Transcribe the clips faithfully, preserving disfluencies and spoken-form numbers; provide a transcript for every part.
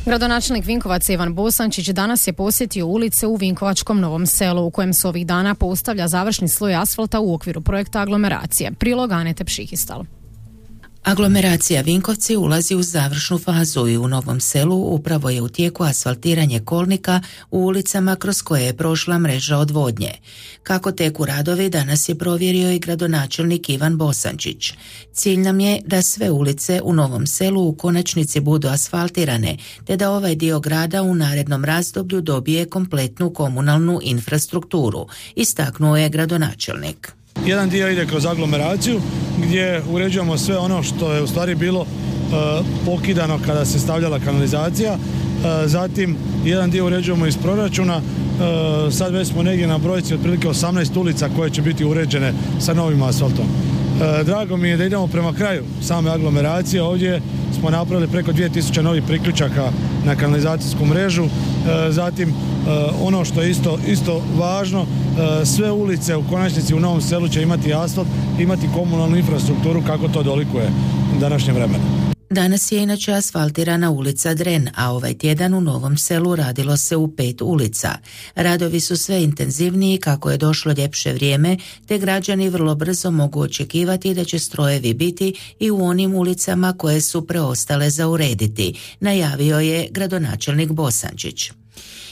Gradonačelnik Vinkovaca Ivan Bosančić danas je posjetio ulice u Vinkovačkom Novom Selu, u kojem se ovih dana postavlja završni sloj asfalta u okviru projekta aglomeracije. Prilog Anete Pšihistal. Aglomeracija Vinkovci ulazi u završnu fazu i u Novom Selu upravo je u tijeku asfaltiranje kolnika u ulicama kroz koje je prošla mreža odvodnje. Kako teku radovi danas je provjerio i gradonačelnik Ivan Bosančić. Cilj nam je da sve ulice u Novom Selu u konačnici budu asfaltirane, te da ovaj dio grada u narednom razdoblju dobije kompletnu komunalnu infrastrukturu, istaknuo je gradonačelnik. Jedan dio ide kroz aglomeraciju gdje uređujemo sve ono što je u stvari bilo e, pokidano kada se stavljala kanalizacija. E, zatim jedan dio uređujemo iz proračuna. E, sad već smo negdje na brojci otprilike osamnaest ulica koje će biti uređene sa novim asfaltom. E, drago mi je da idemo prema kraju same aglomeracije. Ovdje smo napravili preko dvije tisuće novih priključaka na kanalizacijsku mrežu. E, zatim e, ono što je isto, isto važno, e, sve ulice u konačnici u Novom Selu će imati asfalt, imati komunalnu infrastrukturu kako to dolikuje današnje vremena. Danas je inače asfaltirana ulica Dren, a ovaj tjedan u Novom Selu radilo se u pet ulica. Radovi su sve intenzivniji kako je došlo ljepše vrijeme, te građani vrlo brzo mogu očekivati da će strojevi biti i u onim ulicama koje su preostale za urediti, najavio je gradonačelnik Bosančić.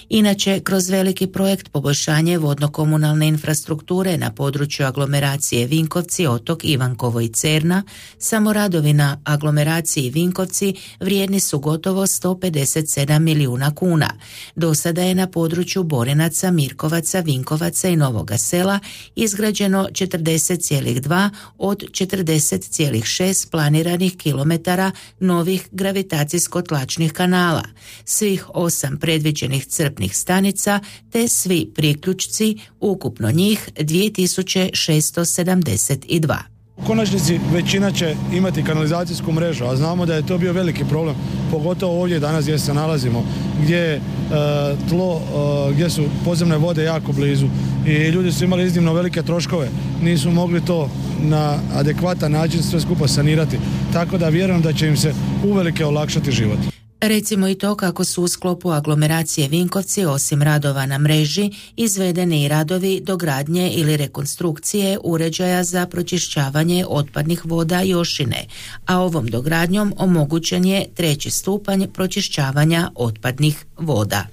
Inače, kroz veliki projekt poboljšanje vodno-komunalne infrastrukture na području aglomeracije Vinkovci, Otok, Ivankovo i Cerna, samo radovi na aglomeraciji Vinkovci vrijedni su gotovo sto pedeset sedam milijuna kuna. Do sada je na području Borinaca, Mirkovaca, Vinkovaca i Novoga Sela izgrađeno četrdeset zarez dva od četrdeset zarez šest planiranih kilometara novih gravitacijsko-tlačnih kanala, svih osam predviđenih crpnih stanica te svi priključci, ukupno njih dvije tisuće šesto sedamdeset dva. U konačnici većina će imati kanalizacijsku mrežu, a znamo da je to bio veliki problem, pogotovo ovdje danas gdje se nalazimo, gdje je e, tlo, e, gdje su podzemne vode jako blizu i ljudi su imali iznimno velike troškove, nisu mogli to na adekvatan način sve skupa sanirati, tako da vjerujem da će im se uvelike olakšati život. Recimo i to kako su u sklopu aglomeracije Vinkovci osim radova na mreži izvedeni i radovi dogradnje ili rekonstrukcije uređaja za pročišćavanje otpadnih voda Jošine, a ovom dogradnjom omogućen je treći stupanj pročišćavanja otpadnih voda.